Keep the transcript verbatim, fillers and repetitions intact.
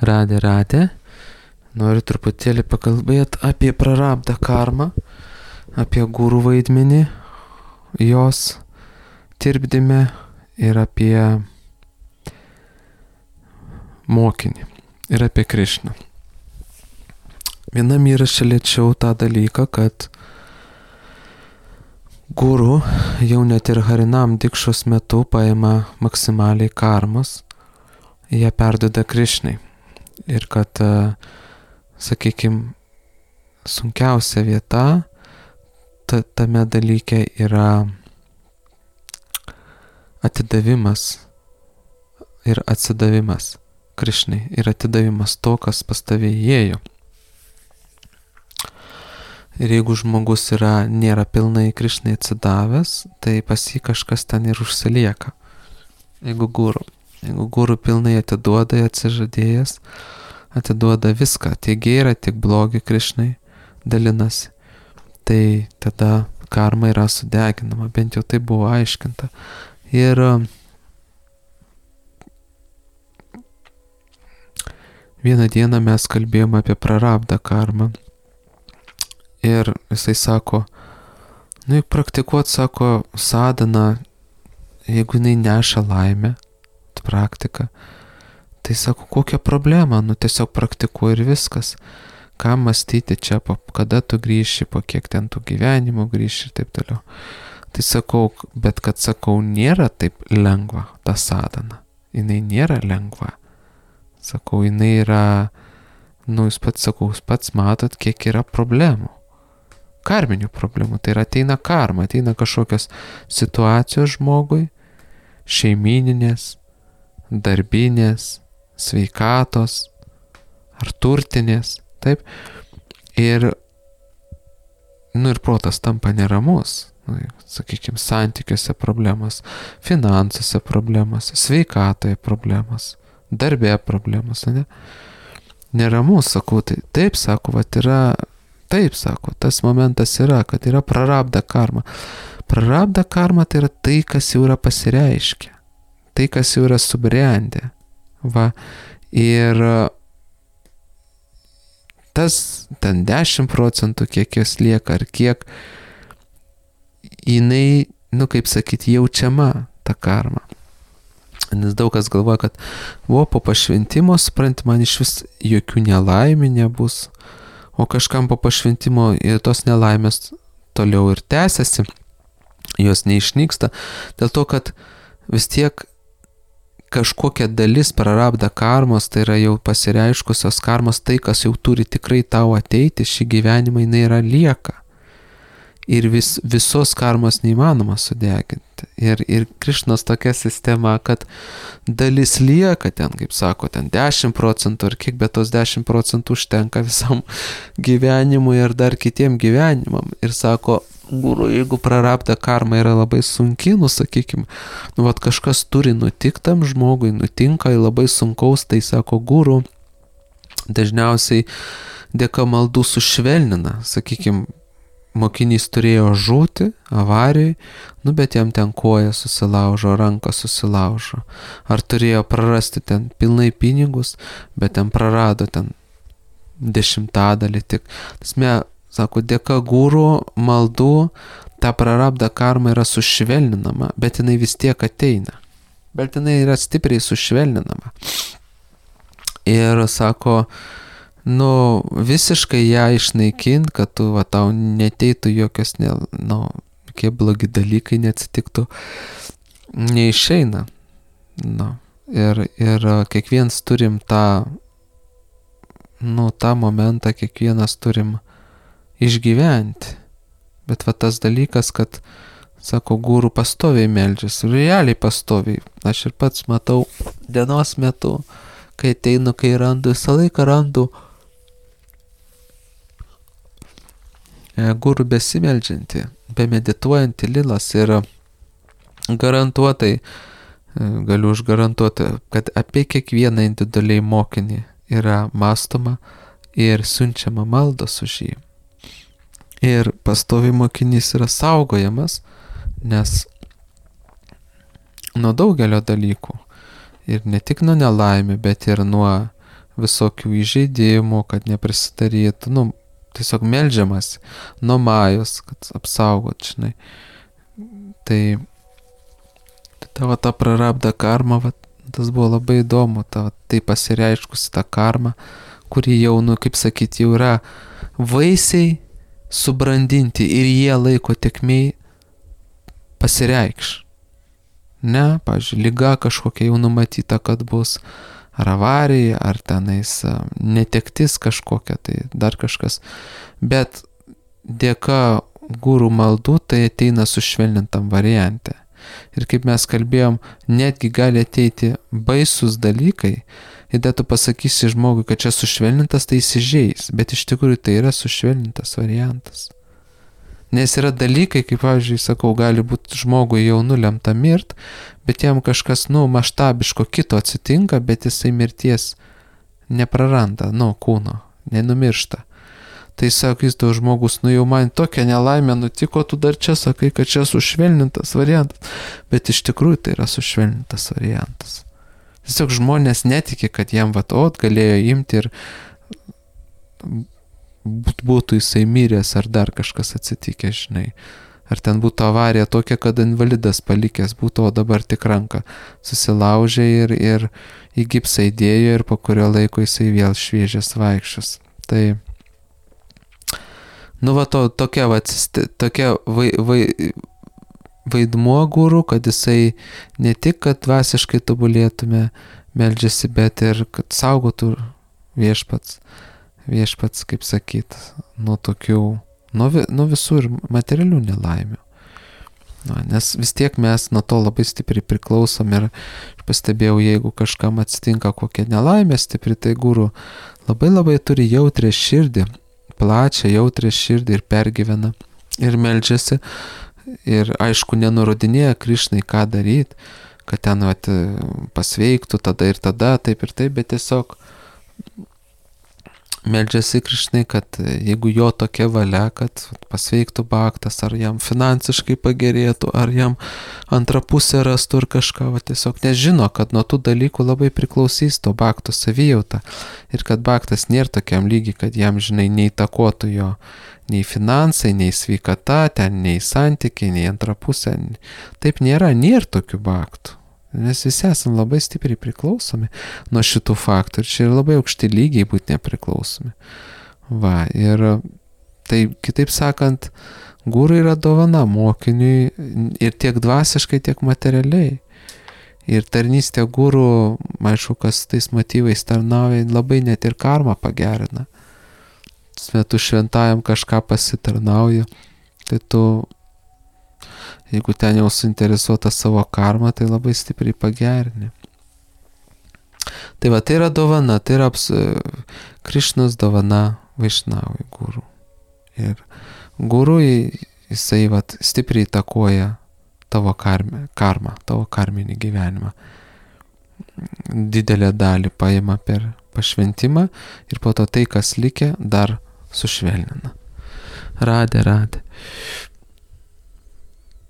Radė, radė. Noriu truputėlį pakalbėti apie prarabdą karmą, apie gurų vaidmenį, jos tirpdime ir apie mokinį ir apie Krišną. Vienam įraše liečiau tą dalyką, kad guru jau net ir Harinam dikšos metu paima maksimaliai karmos, ją perduoda Krišnai. Ir kad, sakykime, sunkiausia vieta ta, tame dalyke yra atidavimas ir atsidavimas Krišnai ir atidavimas to, kas pas tave įėjo. Ir jeigu žmogus yra, nėra pilnai Krišnai atsidavęs, tai pas jį kažkas ten ir užsilieka. Jeigu guru. Jeigu guru pilnai atiduoda, atsižadėjęs, atiduoda viską, tiek gėrą, tiek blogį Krišnai, dalinasi, tai tada karma yra sudeginama, bent jau tai buvo aiškinta. Ir vieną dieną mes kalbėjome apie prarabdą karmą. Ir jisai sako, nu juk praktikuot, sako, sadhana, jeigu jinai neša laimę, praktika, tai sako, kokia problema, nu tiesiog praktikuoji ir viskas. Ką mąstyti čia, po, kada tu grįši, po kiek ten tų gyvenimų grįši ir taip toliau. Tai sakau, bet kad sakau, nėra taip lengva ta sadhana. Jinai nėra lengva. Sakau, jinai yra, nu jūs pats sakau, jūs pats matot, kiek yra problemų. Karminių problemų, tai yra ateina karma, ateina kažkokios situacijos žmogui, šeimininės, darbinės, sveikatos ar turtinės, taip, ir, nu ir protas tampa neramus, nu, sakykime, santykiuose problemas, finansuose problemas, sveikatoje problemas, darbė problemas, ne? Neramus, sakau, tai taip, sako, vat yra, taip, sako, tas momentas yra, kad yra prarabda karma. Prarabda karma tai yra tai, kas jau yra pasireiškę, tai, kas jau yra subrendę. Va, ir tas ten dešimt procentų, kiek jos lieka, ar kiek jinai, nu kaip sakyti, jaučiama ta karma. Nes daug kas galvoja, kad buvo po pašventimo, supranti, man iš vis jokių nelaimių nebus, o kažkam po pašventimo ir tos nelaimės toliau ir tęsiasi, jos neišnyksta, dėl to, kad vis tiek kažkokia dalis prarabda karmos, tai yra jau pasireiškusios karmos, tai, kas jau turi tikrai tau ateiti, šį gyvenimą jinai yra lieka. Ir vis, visos karmos neįmanoma sudeginti. Ir, ir Krišnos tokia sistema, kad dalis lieka ten, kaip sako, ten dešimt procentų ar kiek, bet tos dešimt procentų užtenka visam gyvenimui ir dar kitiem gyvenimam. Ir sako, guru, jeigu prarabda karma yra labai sunki, nu sakykim, nu vat kažkas turi nutikti tam žmogui, nutinka labai sunkaus, tai sako, guru, dažniausiai dėka maldų sušvelnina, sakykim, mokinys turėjo žūti avarijai, nu bet jam ten koja susilaužo, ranką susilaužo. Ar turėjo prarasti ten pilnai pinigus, bet ten prarado ten dešimtadalį tik. Tasme, sako, dėka guru maldų ta prarabda karma yra sušvelninama, bet jinai vis tiek ateina. Bet jinai yra stipriai sušvelninama. Ir sako, nu, visiškai ją išnaikint, kad tu, va, tau neteitų jokios, ne, nu, kokie blogi dalykai neatsitiktų, neišeina. Nu, ir, ir kiekvienas turim tą, nu, tą momentą, kiekvienas turim išgyventi. Bet va tas dalykas, kad, sako, guru pastoviai meldžiasi, realiai pastoviai. Aš ir pats matau dienos metu, kai ateinu, kai randu, visą laiką randu guru besimeldžiantį, bemedituojantį lilas ir garantuotai, galiu užgarantuoti, kad apie kiekvieną individualiai mokinį yra mąstoma ir siunčiama maldos už jį. Ir pastoviai mokinys yra saugojamas, nes nuo daugelio dalykų. Ir ne tik nuo nelaimių, bet ir nuo visokių įžeidimų, kad neprisidarytų, nu, tiesiog meldžiamas nuo majos, kad apsaugot, žinai. Tai, tai tavo ta prarabda karma, va, tas buvo labai įdomu, ta, va, tai pasireiškusi ta karma, kuri jau, nu, kaip sakyti, jau yra vaisiai subrandinti ir jie laiko tekmei pasireikš. Ne, pavyzdžiui, liga kažkokia jau numatyta, kad bus, ar avarija, ar tenais netektis kažkokia, tai dar kažkas. Bet dėka gurų maldų tai ateina sušvelnintam variante. Ir kaip mes kalbėjom, netgi gali ateiti baisus dalykai, ir tada tu pasakysi žmogui, kad čia sušvelnintas, tai įsižeis, bet iš tikrųjų tai yra sušvelnintas variantas. Nes yra dalykai, kaip, pavyzdžiui, sakau, gali būti žmogui jau nulemta mirt, bet jam kažkas, nu, maštabiško kito atsitinka, bet jisai mirties nepraranda, nu, kūno, nenumiršta. Tai sakys tau žmogus, nu jau man tokia nelaimė nutiko, tu dar čia sakai, kad čia sušvelnintas variantas, bet iš tikrųjų tai yra sušvelnintas variantas. Tiesiog žmonės netiki, kad jam vat, ot, galėjo imti ir būtų jisai miręs ar dar kažkas atsitikę, žinai. Ar ten būtų avarija tokia, kad invalidas palikęs būtų, o dabar tik ranką susilaužė ir, ir į gipsą įdėjo ir po kurio laiko jisai vėl šviežias vaikščios. Tai, nu va, to, tokia, va, tokia vai, vai, vaidmuo guru, kad jisai ne tik, kad dvasiškai tobulėtume, meldžiasi, bet ir kad saugotų viešpats. Viešpats, kaip sakyt, nuo tokių, nuo, nuo visų ir materialių nelaimių. Na, nes vis tiek mes nuo to labai stipriai priklausom ir aš pastebėjau, jeigu kažkam atsitinka kokia nelaimė stipri, tai guru labai labai turi jautrę širdį, plačią jautrę širdį ir pergyvena ir meldžiasi ir aišku nenurodinėja Krišnai, ką daryti, kad ten vat, pasveiktų tada ir tada, taip ir taip, bet tiesiog meldžiasi Krišnai, kad jeigu jo tokia valia, kad pasveiktų baktas, ar jam finansiškai pagerėtų, ar jam antrą pusę rastų ir kažką, va, tiesiog nežino, kad nuo tų dalykų labai priklausys to bakto savijauta ir kad baktas nėra tokiam lygiai, kad jam, žinai, neįtakotų jo nei finansai, nei sveikata, ten nei santykiai, nei antrą pusę. Taip nėra, nėra tokių baktų. Mes visi esame labai stipriai priklausomi nuo šitų faktų ir čia yra labai aukšti lygiai būti nepriklausomi. Va, ir tai kitaip sakant, guru yra dovana mokiniui ir tiek dvasiškai, tiek materialiai. Ir tarnystė guru, aišku, kas tais motyvais tarnauja, labai net ir karmą pagerina. Tu šventajam kažką pasitarnauji, tai tu jeigu ten jau suinteresuota savo karmą, tai labai stipriai pagerini. Tai va, tai yra dovana, tai yra aps... Krišnos dovana Vaišnavui guru. Ir guru jisai va, stipriai įtakoja tavo karmę, karmą, tavo karminį gyvenimą. Didelę dalį paima per pašventimą ir po to tai, kas likę, dar sušvelnina. Radė, radė.